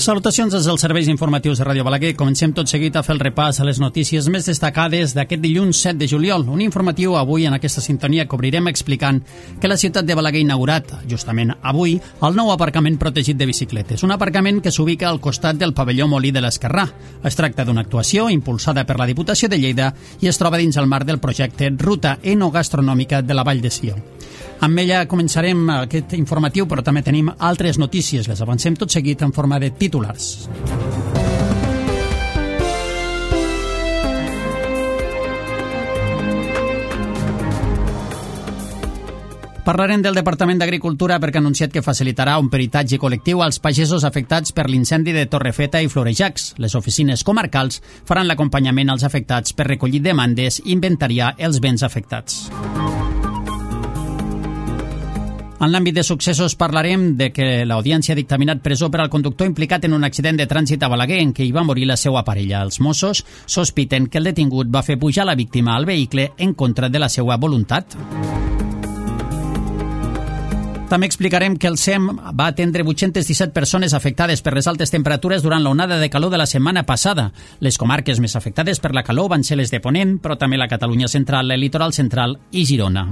Salutacions des dels serveis informatius de Ràdio Balaguer. Comencem tot seguit a fer el repàs a les notícies més destacades d'aquest dilluns 7 de juliol. Un informatiu avui en aquesta sintonia que obrirem explicant que la ciutat de Balaguer ha inaugurat, justament avui, el nou aparcament protegit de bicicletes. Un aparcament que s'ubica al costat del pavelló Molí de l'Esquerrà. Es tracta d'una actuació impulsada per la Diputació de Lleida i es troba dins el marc del projecte Ruta Enogastronòmica de la Vall de Sió. Amb ella començarem aquest informatiu, però també tenim altres notícies. Les avancem tot seguit en forma de titulars. Parlarem del Departament d'Agricultura perquè ha anunciat que facilitarà un peritatge col·lectiu als pagesos afectats per l'incendi de Torrefeta i Florejacs. Les oficines comarcals faran l'acompanyament als afectats per recollir demandes i inventariar els béns afectats. En l'àmbit de successos parlarem de que l'Audiència ha dictaminat presó per al conductor implicat en un accident de trànsit a Balaguer en què hi va morir la seva parella. Els Mossos sospiten que el detingut va fer pujar la víctima al vehicle en contra de la seva voluntat. També explicarem que el SEM va atendre 817 persones afectades per les altes temperatures durant l'onada de calor de la setmana passada. Les comarques més afectades per la calor van ser les de Ponent, però també la Catalunya central, el litoral central i Girona.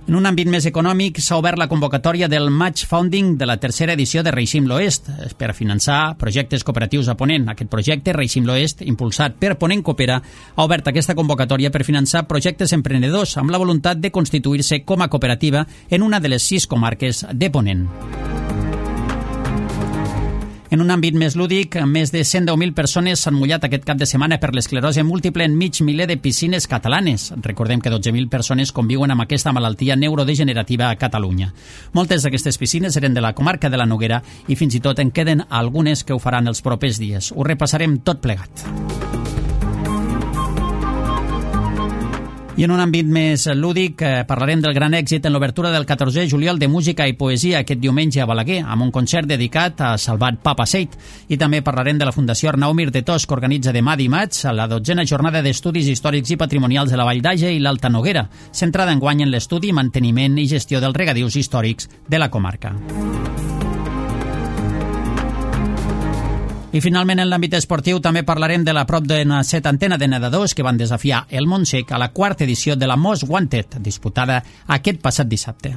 En un àmbit més econòmic, s'ha obert la convocatòria del Match Funding de la tercera edició de Reixim l'Oest per a finançar projectes cooperatius a Ponent. Aquest projecte, Reixim l'Oest, impulsat per Ponent Coopera, ha obert aquesta convocatòria per finançar projectes emprenedors amb la voluntat de constituir-se com a cooperativa en una de les 6 comarques de Ponent. En un àmbit més lúdic, més de 110.000 persones s'han mullat aquest cap de setmana per l'esclerosi múltiple en mig miler de piscines catalanes. Recordem que 12.000 persones conviuen amb aquesta malaltia neurodegenerativa a Catalunya. Moltes d'aquestes piscines eren de la comarca de la Noguera i fins i tot en queden algunes que ho faran els propers dies. Ho repassarem tot plegat. I en un àmbit més lúdic parlarem del gran èxit en l'obertura del 14è juliol de música i poesia aquest diumenge a Balaguer, amb un concert dedicat a Salvat Papaseit. I també parlarem de la Fundació Arnau Mir de Tos, que organitza demà dimarts la 12a jornada d'estudis històrics i patrimonials de la Vall d'Àger i l'Alta Noguera, centrada enguany en l'estudi, manteniment i gestió dels regadius històrics de la comarca. I finalment, en l'àmbit esportiu, també parlarem de la prop d'una setantena de nedadors que van desafiar el Montsec a la 4ª edició de la Most Wanted, disputada aquest passat dissabte.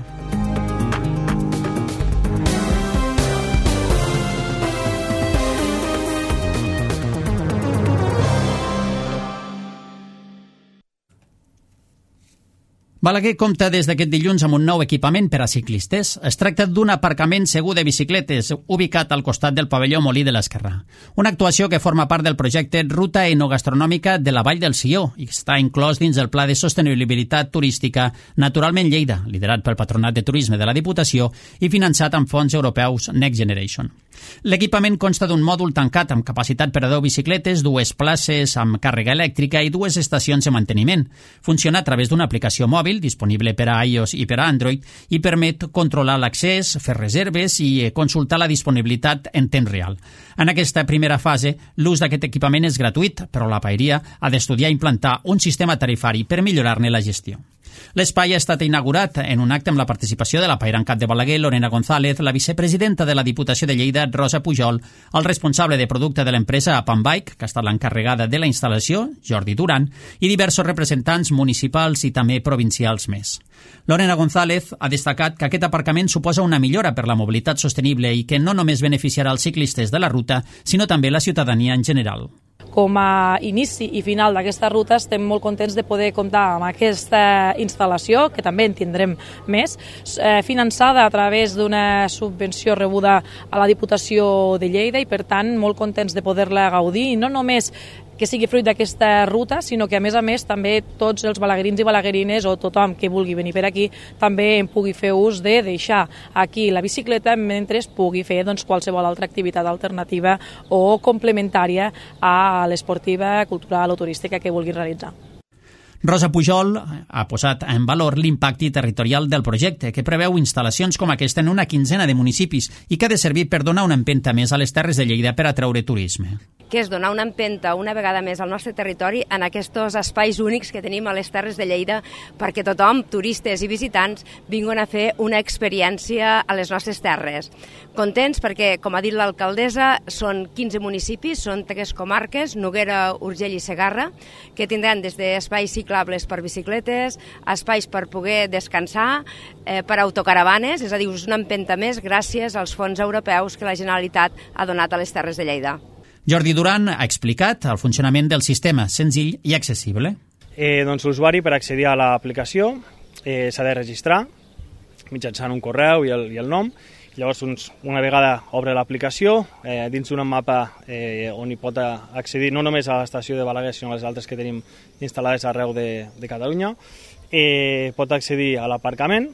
Balaguer compta des d'aquest dilluns amb un nou equipament per a ciclistes. Es tracta d'un aparcament segur de bicicletes ubicat al costat del pavelló Molí de l'Esquerrà. Una actuació que forma part del projecte Ruta Enogastronòmica de la Vall del Sió i està inclòs dins el Pla de Sostenibilitat Turística Naturalment Lleida, liderat pel Patronat de Turisme de la Diputació i finançat amb fons europeus Next Generation. L'equipament consta d'un mòdul tancat amb capacitat per a 10 bicicletes, 2 places amb càrrega elèctrica i 2 estacions de manteniment. Funciona a través d'una aplicació mòbil disponible per a iOS i per a Android i permet controlar l'accés, fer reserves i consultar la disponibilitat en temps real. En aquesta primera fase, l'ús d'aquest equipament és gratuït, però la paeria ha d'estudiar i implantar un sistema tarifari per millorar-ne la gestió. L'espai ha estat inaugurat en un acte amb la participació de la paera en cap de Balaguer, Lorena González, la vicepresidenta de la Diputació de Lleida, Rosa Pujol, el responsable de producte de l'empresa Apanbike, que ha estat l'encarregada de la instal·lació, Jordi Duran, i diversos representants municipals i també provincials més. Lorena González ha destacat que aquest aparcament suposa una millora per la mobilitat sostenible i que no només beneficiarà els ciclistes de la ruta, sinó també la ciutadania en general. Com a inici i final d'aquesta ruta estem molt contents de poder comptar amb aquesta instal·lació, que també en tindrem més, finançada a través d'una subvenció rebuda a la Diputació de Lleida i per tant molt contents de poder-la gaudir, i no només que sigui fruit d'aquesta ruta, sinó que a més també tots els balaguerins i balaguerines o tothom que vulgui venir per aquí també en pugui fer ús de deixar aquí la bicicleta mentre pugui fer qualsevol altra activitat alternativa o complementària a l'esportiva, cultural o turística que vulgui realitzar. Rosa Pujol ha posat en valor l'impacte territorial del projecte, que preveu instal·lacions com aquesta en una quinzena de municipis i que ha de servir per donar una empenta més a les Terres de Lleida per atraure turisme. que és donar una empenta una vegada més al nostre territori en aquests espais únics que tenim a les Terres de Lleida, perquè tothom, turistes i visitants, vinguin a fer una experiència a les nostres terres. Contents perquè, com ha dit l'alcaldessa, són 15 municipis, són 3 comarques, Noguera, Urgell i Segarra, que tindran des d'espais ciclables per bicicletes, espais per poder descansar, per autocaravanes, és a dir, és una empenta més gràcies als fons europeus que la Generalitat ha donat a les Terres de Lleida. Jordi Duran ha explicat el funcionament del sistema, senzill i accessible. Doncs l'usuari, per accedir a l'aplicació, s'ha de registrar mitjançant un correu i el nom. Llavors, una vegada obre l'aplicació, dins d'un mapa on hi pot accedir no només a l'estació de Balaguer, sinó a les altres que tenim instal·lades arreu de Catalunya, pot accedir a l'aparcament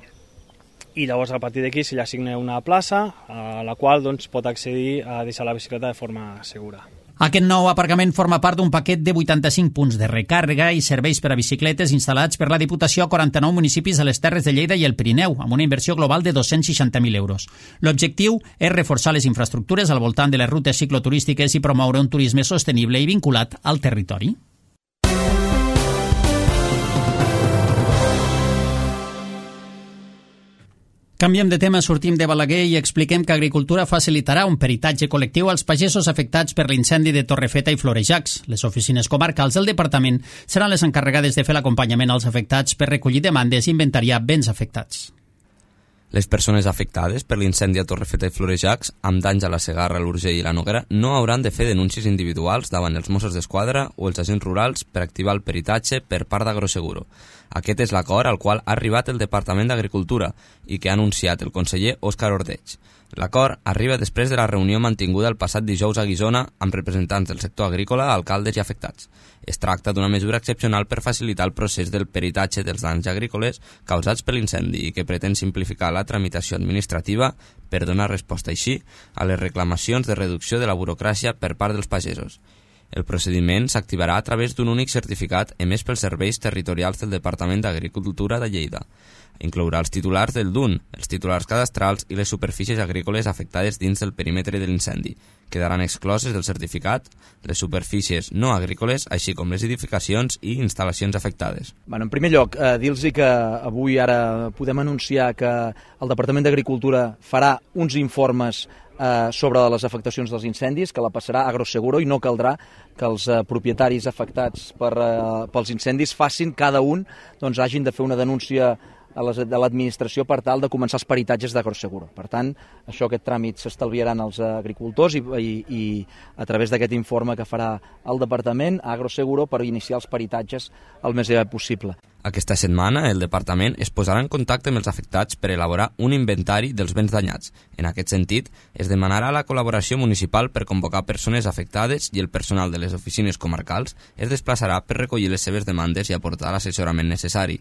i llavors a partir d'aquí se li assigna una plaça a la qual pot accedir a deixar la bicicleta de forma segura. Aquest nou aparcament forma part d'un paquet de 85 punts de recàrrega i serveis per a bicicletes instal·lats per la Diputació a 49 municipis a les Terres de Lleida i el Pirineu, amb una inversió global de 260.000 euros. L'objectiu és reforçar les infraestructures al voltant de les rutes cicloturístiques i promoure un turisme sostenible i vinculat al territori. Canviem de tema, sortim de Balaguer i expliquem que Agricultura facilitarà un peritatge col·lectiu als pagesos afectats per l'incendi de Torrefeta i Florejacs. Les oficines comarcals del departament seran les encarregades de fer l'acompanyament als afectats per recollir demandes i inventariar béns afectats. Les persones afectades per l'incendi a Torrefeta i Florejacs, amb danys a la Segarra, l'Urgell i la Noguera, no hauran de fer denúncies individuals davant els Mossos d'Esquadra o els agents rurals per activar el peritatge per part d'Agroseguro. Aquest és l'acord al qual ha arribat el Departament d'Agricultura i que ha anunciat el conseller Òscar Ordeig. L'acord arriba després de la reunió mantinguda el passat dijous a Guissona amb representants del sector agrícola, alcaldes i afectats. Es tracta d'una mesura excepcional per facilitar el procés del peritatge dels danys agrícoles causats per l'incendi i que pretén simplificar la tramitació administrativa per donar resposta així a les reclamacions de reducció de la burocràcia per part dels pagesos. El procediment s'activarà a través d'un únic certificat emès pels serveis territorials del Departament d'Agricultura de Lleida. Inclourà els titulars del DUN, els titulars cadastrals i les superfícies agrícoles afectades dins del perímetre de l'incendi. Quedaran excloses del certificat les superfícies no agrícoles, així com les edificacions i instal·lacions afectades. En primer lloc, dir-los que avui ara podem anunciar que el Departament d'Agricultura farà uns informes sobre les afectacions dels incendis, que la passarà a Agroseguro i no caldrà que els propietaris afectats pels incendis facin, cada un, hagin de fer una denúncia de l'administració per tal de començar els peritatges d'Agroseguro. Per tant, aquest tràmit s'estalviaran els agricultors i a través d'aquest informe que farà el Departament a Agroseguro per iniciar els peritatges el més aviat possible. Aquesta setmana el Departament es posarà en contacte amb els afectats per elaborar un inventari dels béns danyats. En aquest sentit, es demanarà la col·laboració municipal per convocar persones afectades i el personal de les oficines comarcals es desplaçarà per recollir les seves demandes i aportar l'assessorament necessari.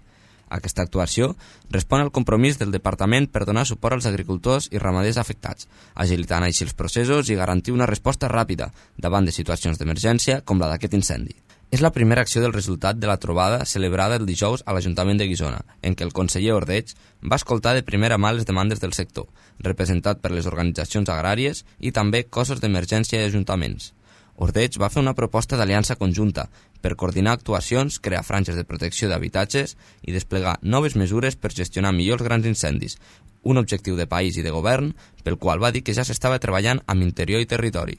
Aquesta actuació respon al compromís del Departament per donar suport als agricultors i ramaders afectats, agilitant així els processos i garantir una resposta ràpida davant de situacions d'emergència com la d'aquest incendi. És la primera acció del resultat de la trobada celebrada el dijous a l'Ajuntament de Guissona, en què el conseller Ordeig va escoltar de primera mà les demandes del sector, representat per les organitzacions agràries i també cossos d'emergència i ajuntaments. Ordeig va fer una proposta d'aliança conjunta per coordinar actuacions, crear franges de protecció d'habitatges i desplegar noves mesures per gestionar millor els grans incendis, un objectiu de país i de govern pel qual va dir que ja s'estava treballant amb Interior i Territori.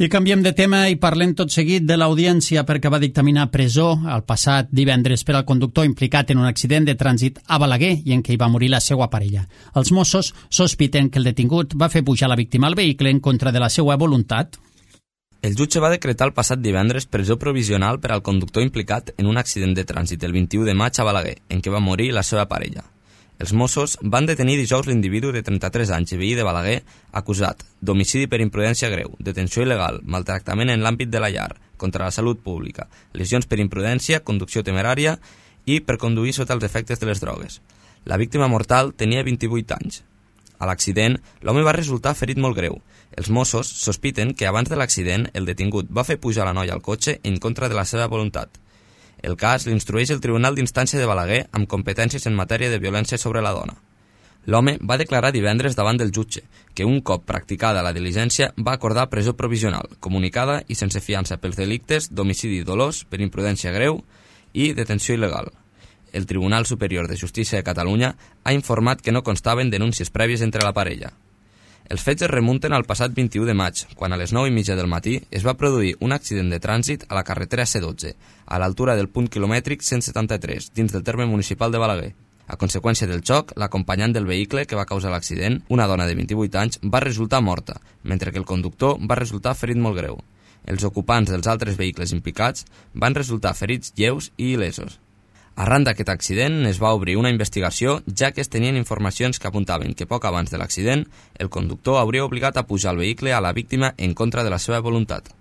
I canviem de tema i parlem tot seguit de l'audiència perquè va dictaminar presó el passat divendres per al conductor implicat en un accident de trànsit a Balaguer i en què hi va morir la seva parella. Els Mossos sospiten que el detingut va fer pujar la víctima al vehicle en contra de la seva voluntat. El jutge va decretar el passat divendres presó provisional per al conductor implicat en un accident de trànsit el 21 de maig a Balaguer, en què va morir la seva parella. Els Mossos van detenir dijous l'individu de 33 anys i veí de Balaguer acusat d'homicidi per imprudència greu, detenció il·legal, maltractament en l'àmbit de la llar, contra la salut pública, lesions per imprudència, conducció temerària i per conduir sota els efectes de les drogues. La víctima mortal tenia 28 anys. A l'accident, l'home va resultar ferit molt greu. Els Mossos sospiten que abans de l'accident el detingut va fer pujar la noia al cotxe en contra de la seva voluntat. El cas l'instrueix el Tribunal d'Instància de Balaguer amb competències en matèria de violència sobre la dona. L'home va declarar divendres davant del jutge que un cop practicada la diligència va acordar presó provisional, comunicada i sense fiança pels delictes d'homicidi dolós per imprudència greu i detenció il·legal. El Tribunal Superior de Justícia de Catalunya ha informat que no constaven denúncies prèvies entre la parella. Els fets es remunten al passat 21 de maig, quan a les 9:30 del matí es va produir un accident de trànsit a la carretera C12, a l'altura del punt quilomètric 173, dins del terme municipal de Balaguer. A conseqüència del xoc, l'acompanyant del vehicle que va causar l'accident, una dona de 28 anys, va resultar morta, mentre que el conductor va resultar ferit molt greu. Els ocupants dels altres vehicles implicats van resultar ferits lleus i il·lesos. Arran d'aquest accident es va obrir una investigació, ja que es tenien informacions que apuntaven que poc abans de l'accident el conductor hauria obligat a pujar al vehicle a la víctima en contra de la seva voluntat.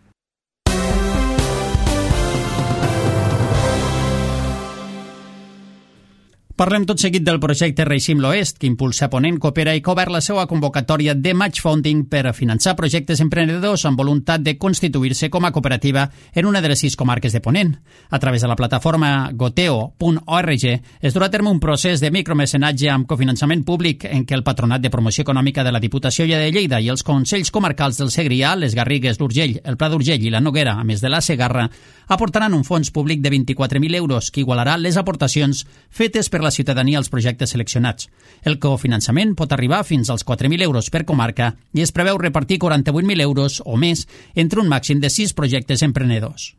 Parlem tot seguit del projecte Reixim l'Oest, que impulsa Ponent Coopera i que ha obert la seva convocatòria de Match Funding per finançar projectes emprenedors amb voluntat de constituir-se com a cooperativa en una de les 6 comarques de Ponent. A través de la plataforma goteo.org es durà a terme un procés de micromecenatge amb cofinançament públic en què el Patronat de Promoció Econòmica de la Diputació de Lleida i els Consells Comarcals del Segrià, les Garrigues, l'Urgell, el Pla d'Urgell i la Noguera, a més de la Segarra, aportaran un fons públic de 24.000 euros que igualarà les aportacions fetes per la ciutadania als projectes seleccionats. El cofinançament pot arribar fins als 4.000 euros per comarca i es preveu repartir 48.000 euros o més entre un màxim de 6 projectes emprenedors.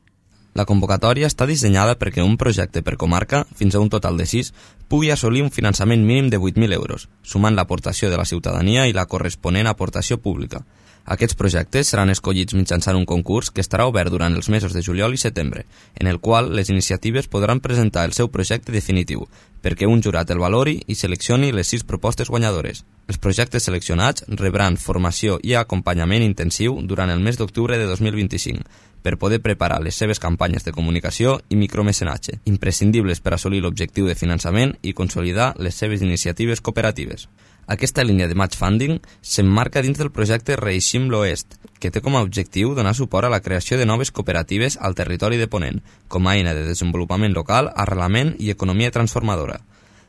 La convocatòria està dissenyada perquè un projecte per comarca, fins a un total de 6, pugui assolir un finançament mínim de 8.000 euros, sumant l'aportació de la ciutadania i la corresponent aportació pública. Aquests projectes seran escollits mitjançant un concurs que estarà obert durant els mesos de juliol i setembre, en el qual les iniciatives podran presentar el seu projecte definitiu, perquè un jurat el valori i seleccioni les 6 propostes guanyadores. Els projectes seleccionats rebran formació i acompanyament intensiu durant el mes d'octubre de 2025, per poder preparar les seves campanyes de comunicació i micromecenatge, imprescindibles per assolir l'objectiu de finançament i consolidar les seves iniciatives cooperatives. Aquesta línia de match funding s'emmarca dins del projecte Reixim l'Oest, que té com a objectiu donar suport a la creació de noves cooperatives al territori de Ponent, com a eina de desenvolupament local, arrelament i economia transformadora.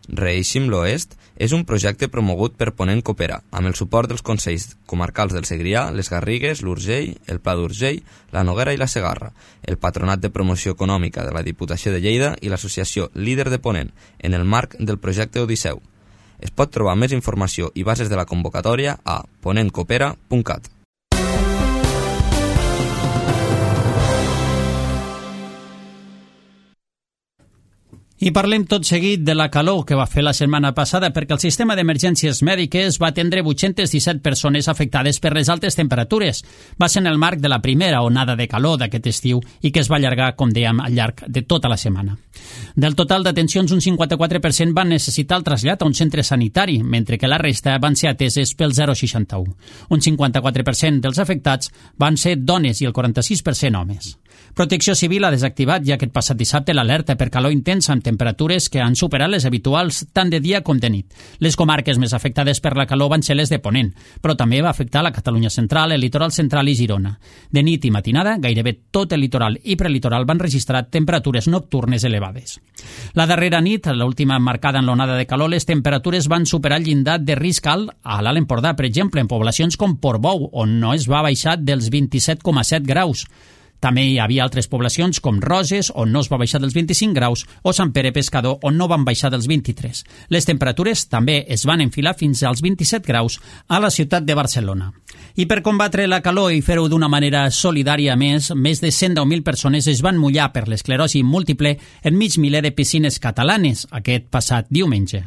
Reixim l'Oest és un projecte promogut per Ponent Coopera, amb el suport dels Consells Comarcals del Segrià, les Garrigues, l'Urgell, el Pla d'Urgell, la Noguera i la Segarra, el Patronat de Promoció Econòmica de la Diputació de Lleida i l'associació Líder de Ponent, en el marc del projecte Odisseu. Es pot trobar més informació i bases de la convocatòria a ponentcoopera.cat. I parlem tot seguit de la calor que va fer la setmana passada perquè el sistema d'emergències mèdiques va atendre 817 persones afectades per les altes temperatures. Va ser en el marc de la primera onada de calor d'aquest estiu i que es va allargar, com dèiem, al llarg de tota la setmana. Del total d'atencions, un 54% van necessitar el trasllat a un centre sanitari, mentre que la resta van ser ateses pel 061. Un 54% dels afectats van ser dones i el 46% homes. Protecció Civil ha desactivat ja aquest passat dissabte l'alerta per calor intensa amb temperatures que han superat les habituals tant de dia com de nit. Les comarques més afectades per la calor van ser les de Ponent, però també va afectar la Catalunya central, el litoral central i Girona. De nit i matinada, gairebé tot el litoral i prelitoral van registrar temperatures nocturnes elevades. La darrera nit, l'última marcada en l'onada de calor, les temperatures van superar el llindar de risc alt a l'Alt Empordà, per exemple, en poblacions com Portbou, on no es va baixar dels 27,7 graus. També hi havia altres poblacions com Roses, on no es va baixar dels 25 graus, o Sant Pere Pescador, on no van baixar dels 23. Les temperatures també es van enfilar fins als 27 graus a la ciutat de Barcelona. I per combatre la calor i fer-ho d'una manera solidària més de 110.000 persones es van mullar per l'esclerosi múltiple en mig miler de piscines catalanes aquest passat diumenge.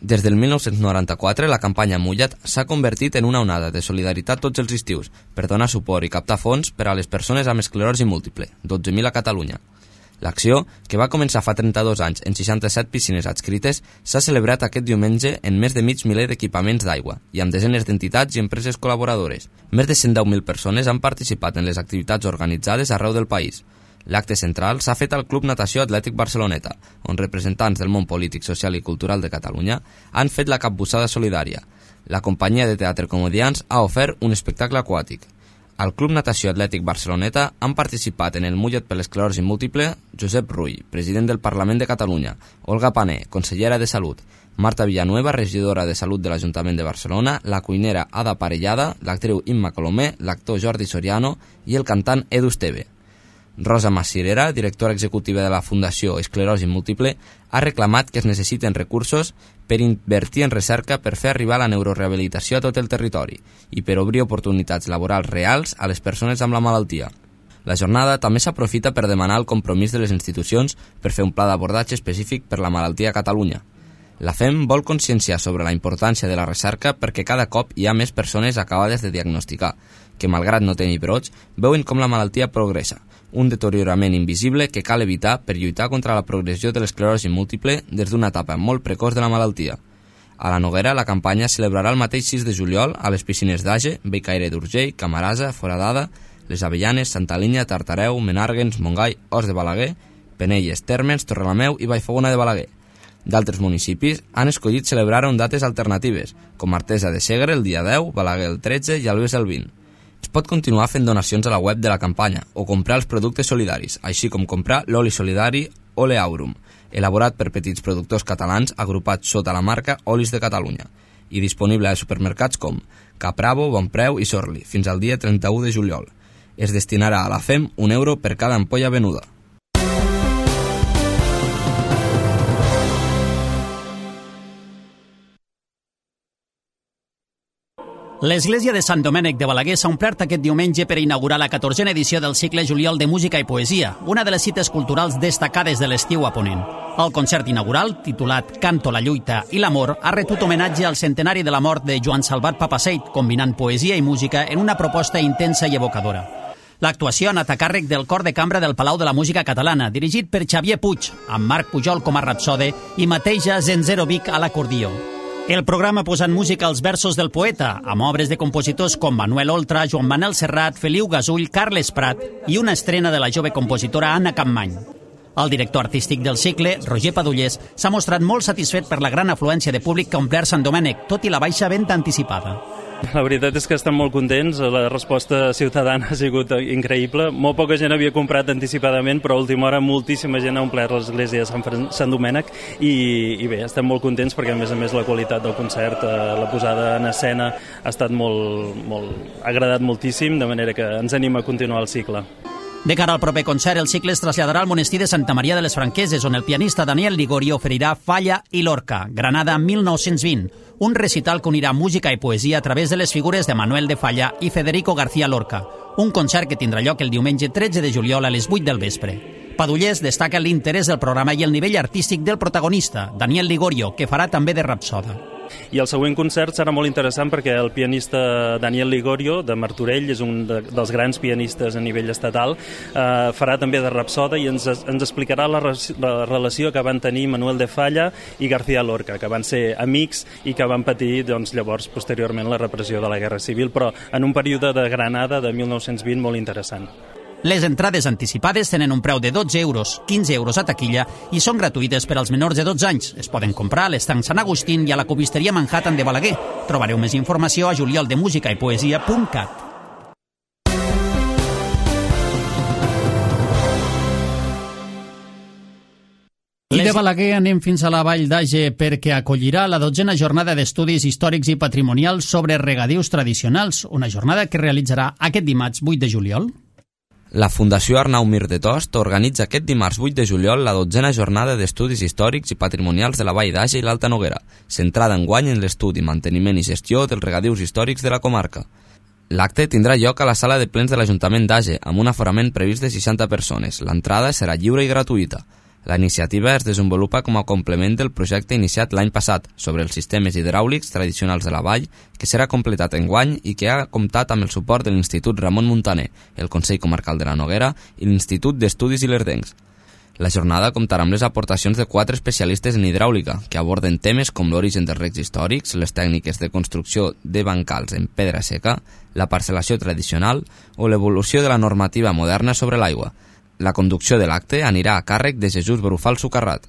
Des del 1994, la campanya Mulla't s'ha convertit en una onada de solidaritat tots els estius per donar suport i captar fons per a les persones amb esclerosi múltiple, 12.000 a Catalunya. L'acció, que va començar fa 32 anys en 67 piscines adscrites, s'ha celebrat aquest diumenge en més de mig miler d'equipaments d'aigua i amb desenes d'entitats i empreses col·laboradores. Més de 110.000 persones han participat en les activitats organitzades arreu del país. L'acte central s'ha fet al Club Natació Atlètic Barceloneta, on representants del món polític, social i cultural de Catalunya han fet la capbussada solidària. La companyia de teatre Comedians ha ofert un espectacle aquàtic. Al Club Natació Atlètic Barceloneta han participat en el Mulla't per l'esclerosi múltiple Josep Rull, president del Parlament de Catalunya, Olga Pané, consellera de Salut, Marta Villanueva, regidora de Salut de l'Ajuntament de Barcelona, la cuinera Ada Parellada, l'actriu Imma Colomer, l'actor Jordi Soriano i el cantant Edu Esteve. Rosa Massirera, directora executiva de la Fundació Esclerosi Múltiple, ha reclamat que es necessiten recursos per invertir en recerca per fer arribar la neurorehabilitació a tot el territori i per obrir oportunitats laborals reals a les persones amb la malaltia. La jornada també s'aprofita per demanar el compromís de les institucions per fer un pla d'abordatge específic per la malaltia a Catalunya. La FEM vol conscienciar sobre la importància de la recerca perquè cada cop hi ha més persones acabades de diagnosticar, que malgrat no tenir brots, veuen com la malaltia progressa, un deteriorament invisible que cal evitar per lluitar contra la progressió de l'esclerosi múltiple des d'una etapa molt precoç de la malaltia. A la Noguera, la campanya es celebrarà el mateix 6 de juliol a les piscines d'Age, Bellcaire d'Urgell, Camarasa, Foradada, Les Avellanes, Santa Linya, Tartareu, Menàrguens, Montgai, Os de Balaguer, Penelles, Térmens, Torrelameu i Vallfogona de Balaguer. D'altres municipis han escollit celebrar-ho en dates alternatives, com Artesa de Segre el dia 10, Balaguer el 13 i Albes el 20. Es pot continuar fent donacions a la web de la campanya o comprar els productes solidaris, així com comprar l'oli solidari Ole Aurum, elaborat per petits productors catalans agrupats sota la marca Olis de Catalunya i disponible a supermercats com Capravo, Bonpreu i Sorli fins al dia 31 de juliol. Es destinarà a la FEM €1 per cada ampolla venuda. L'església de Sant Domènec de Balaguer s'ha omplert aquest diumenge per inaugurar la 14a edició del cicle Juliol de Música i Poesia, una de les cites culturals destacades de l'estiu a Ponent. El concert inaugural, titulat Canto, la lluita i l'amor, ha retut homenatge al centenari de la mort de Joan Salvat Papaseit, combinant poesia i música en una proposta intensa i evocadora. L'actuació ha anat a càrrec del Cor de Cambra del Palau de la Música Catalana, dirigit per Xavier Puig, amb Marc Pujol com a rapsode i Mateja Zenzerovic a l'acordió. El programa ha posat música als versos del poeta, amb obres de compositors com Manuel Oltra, Joan Manel Serrat, Feliu Gasull, Carles Prat i una estrena de la jove compositora Anna Campmany. El director artístic del cicle, Roger Padullés, s'ha mostrat molt satisfet per la gran afluència de públic que ha omplert Sant Domènec, tot i la baixa venda anticipada. La veritat és que estem molt contents, la resposta ciutadana ha sigut increïble. Molt poca gent havia comprat anticipadament, però a última hora moltíssima gent ha omplert l'església de Sant Domènec i bé, estem molt contents perquè a més la qualitat del concert, la posada en escena ha estat ha agradat moltíssim, de manera que ens anima a continuar el cicle. De cara al proper concert, el cicle es traslladarà al monestir de Santa Maria de les Franqueses, on el pianista Daniel Ligorio oferirà Falla i Lorca, Granada 1920, un recital que unirà música i poesia a través de les figures de Manuel de Falla i Federico García Lorca, un concert que tindrà lloc el diumenge 13 de juliol a les 8 del vespre. Padullés destaca l'interès del programa i el nivell artístic del protagonista, Daniel Ligorio, que farà també de rapsoda. I el següent concert serà molt interessant perquè el pianista Daniel Ligorio, de Martorell, és un dels grans pianistes a nivell estatal, farà també de rapsoda i ens explicarà la relació que van tenir Manuel de Falla i García Lorca, que van ser amics i que van patir llavors posteriorment la repressió de la Guerra Civil, però en un període de Granada de 1920 molt interessant. Les entrades anticipades tenen un preu de 12 euros, 15 euros a taquilla i són gratuïtes per als menors de 12 anys. Es poden comprar a l'estanc Sant Agustín i a la copisteria Manhattan de Balaguer. Trobareu més informació a julioldemusicaippoesia.cat. I de Balaguer anem fins a la Vall d'Age perquè acollirà la 12a jornada d'estudis històrics i patrimonials sobre regadius tradicionals, una jornada que realitzarà aquest dimarts 8 de juliol. La Fundació Arnau Mir de Tost organitza aquest dimarts 8 de juliol la 12a jornada d'estudis històrics i patrimonials de la Vall d'Age i l'Alta Noguera, centrada enguany en l'estudi, manteniment i gestió dels regadius històrics de la comarca. L'acte tindrà lloc a la sala de plens de l'Ajuntament d'Age, amb un aforament previst de 60 persones. L'entrada serà lliure i gratuïta. La iniciativa es desenvolupa com a complement del projecte iniciat l'any passat sobre els sistemes hidràulics tradicionals de la vall, que serà completat enguany i que ha comptat amb el suport de l'Institut Ramon Muntaner, el Consell Comarcal de la Noguera i l'Institut d'Estudis Ilerdencs. La jornada comptarà amb les aportacions de 4 especialistes en hidràulica, que aborden temes com l'origen dels recs històrics, les tècniques de construcció de bancals en pedra seca, la parcel·lació tradicional o l'evolució de la normativa moderna sobre l'aigua. La conducció de l'acte anirà a càrrec de Jesús Brufal Sucarrat.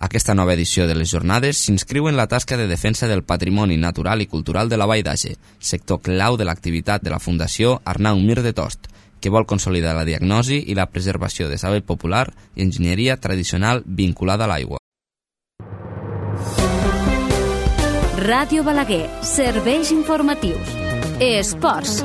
Aquesta nova edició de les jornades s'inscriu en la tasca de defensa del patrimoni natural i cultural de la Vall d'Age, sector clau de l'activitat de la Fundació Arnau Mir de Tost, que vol consolidar la diagnosi i la preservació de saber popular i enginyeria tradicional vinculada a l'aigua. Ràdio Balaguer, serveis informatius. Esports.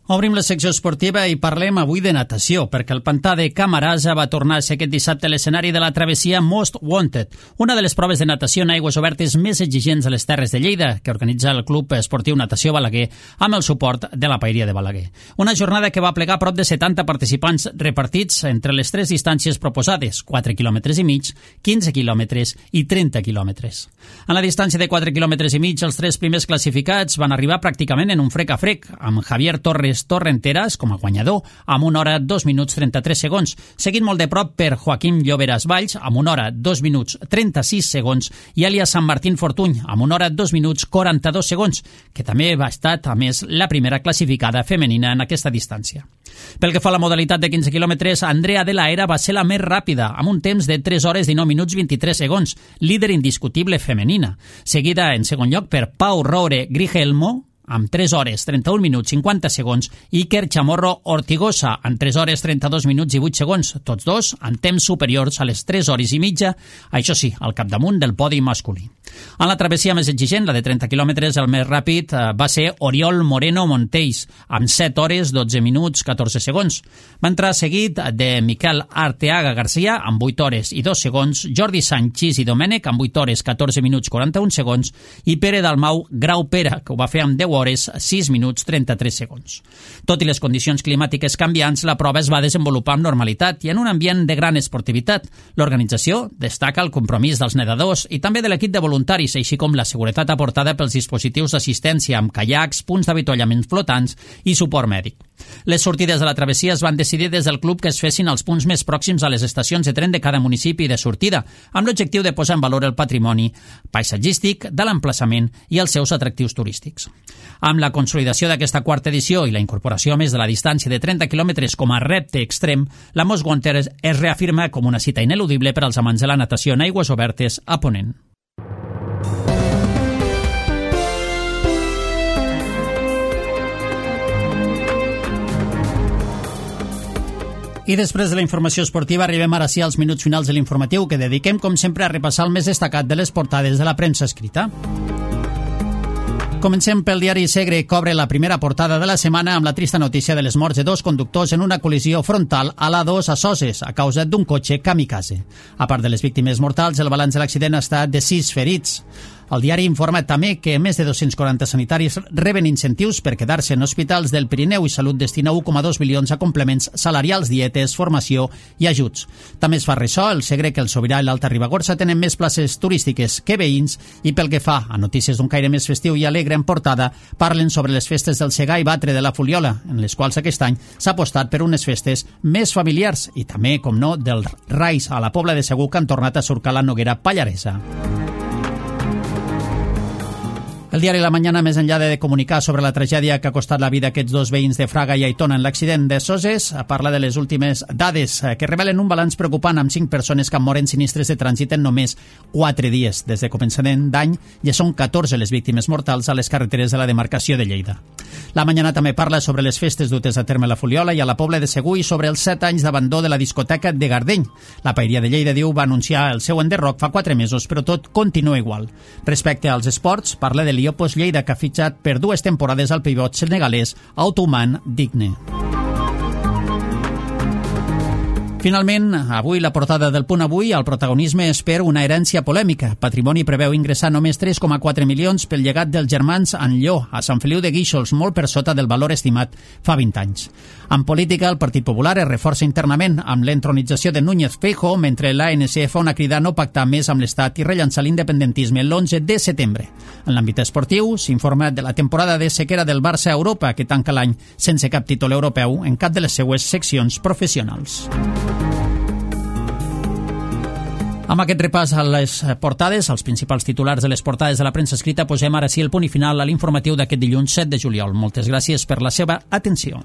Obrim la secció esportiva i parlem avui de natació, perquè el pantà de Camarasa va tornar a ser aquest dissabte l'escenari de la travessia Most Wanted, una de les proves de natació en aigües obertes més exigents a les Terres de Lleida, que organitza el Club Esportiu Natació Balaguer amb el suport de la Paeria de Balaguer. Una jornada que va plegar prop de 70 participants repartits entre les tres distàncies proposades, 4 quilòmetres i mig, 15 quilòmetres i 30 quilòmetres. En la distància de 4 quilòmetres i mig, els tres primers classificats van arribar pràcticament en un frec a frec, amb Javier Torrenteras com a guanyador, amb 1 hora 2 minuts 33 segons, seguint molt de prop per Joaquim Lloberas Valls, amb 1 hora 2 minuts 36 segons, i Elia San Martín Fortuny, amb 1 hora 2 minuts 42 segons, que també va estar, a més, la primera classificada femenina en aquesta distància. Pel que fa a la modalitat de 15 quilòmetres, Andrea de la Era va ser la més ràpida, amb un temps de 3 hores 19 minuts 23 segons, líder indiscutible femenina, seguida en segon lloc per Pau Roure Grigelmo, amb 3 hores 31 minuts 50 segons, i Iker Chamorro Ortigosa, amb 3 hores 32 minuts i 8 segons, tots dos en temps superiors a les 3 hores i mitja, això sí, al capdamunt del podi masculí. En la travessia més exigent, la de 30 quilòmetres, el més ràpid va ser Oriol Moreno Montells, amb 7 hores 12 minuts 14 segons. Va entrar seguit de Miquel Arteaga Garcia, amb 8 hores i 2 segons, Jordi Sanchís i Domènech, amb 8 hores 14 minuts 41 segons, i Pere Dalmau Grau Pera, que ho va fer amb 10 hores 6 minuts 33 segons. Tot i les condicions climàtiques canviants, la prova es va desenvolupar amb normalitat i en un ambient de gran esportivitat. L'organització destaca el compromís dels nedadors i també de l'equip de voluntaris, així com la seguretat aportada pels dispositius d'assistència amb caiacs, punts d'avituallament flotants i suport mèdic. Les sortides de la travessia es van decidir des del club que es fessin als punts més pròxims a les estacions de tren de cada municipi de sortida, amb l'objectiu de posar en valor el patrimoni paisatgístic de l'emplaçament i els seus atractius turístics. Amb la consolidació d'aquesta quarta edició i la incorporació més de la distància de 30 quilòmetres com a repte extrem, la Most Wanted es reafirma com una cita ineludible per als amants de la natació en aigües obertes a Ponent. I després de la informació esportiva arribem ara sí als minuts finals de l'informatiu, que dediquem, com sempre, a repassar el més destacat de les portades de la premsa escrita. Comencem pel diari Segre, que obre la primera portada de la setmana amb la trista notícia de les morts de 2 conductors en una col·lisió frontal a l'A2 a Soses a causa d'un cotxe kamikaze. A part de les víctimes mortals, el balanç de l'accident ha estat de 6 ferits. El diari informa també que més de 240 sanitaris reben incentius per quedar-se en hospitals del Pirineu i Salut destina 1,2 milions a complements salarials, dietes, formació i ajuts. També es fa ressò el Segre que el Sobirà i l'Alta Ribagorça tenen més places turístiques que veïns, i pel que fa a notícies d'un caire més festiu i alegre en portada, parlen sobre les festes del Segar i Batre de la Fuliola, en les quals aquest any s'ha apostat per unes festes més familiars, i també, com no, dels Rais a la Pobla de Segur, que han tornat a surcar la Noguera Pallaresa. El diari La Mañana, més enllà de comunicar sobre la tragèdia que ha costat la vida a aquests 2 veïns de Fraga i Aitona en l'accident de Soses, parla de les últimes dades que revelen un balanç preocupant amb 5 persones que moren sinistres de trànsit en només 4 dies. Des de començament d'any ja són 14 les víctimes mortals a les carreteres de la demarcació de Lleida. La Mañana també parla sobre les festes dutes a terme a la Fuliola i a la Pobla de Segur i sobre els 7 anys d'abandó de la discoteca de Gardeny. La Paeria de Lleida, diu, va anunciar el seu enderroc fa 4 mesos, però tot continua igual. Respecte als esports, parla de l'Iopos Lleida, que ha fitxat per 2 temporades al pivot senegalès Autuman Digne. Finalment, avui la portada del Punt Avui, el protagonisme és per una herència polèmica. Patrimoni preveu ingressar només 3,4 milions pel llegat dels germans Anlló, a Sant Feliu de Guíxols, molt per sota del valor estimat fa 20 anys. En política, el Partit Popular es reforça internament amb l'entronització de Núñez Feijóo, mentre l'ANC fa una crida a no pactar més amb l'Estat i rellançar l'independentisme l'11 de setembre. En l'àmbit esportiu, s'informa de la temporada de sequera del Barça a Europa, que tanca l'any sense cap títol europeu en cap de les seues seccions professionals. Amb aquest repàs a les portades, als principals titulars de les portades de la premsa escrita, posem ara sí el punt i final a l'informatiu d'aquest dilluns 7 de juliol. Moltes gràcies per la seva atenció.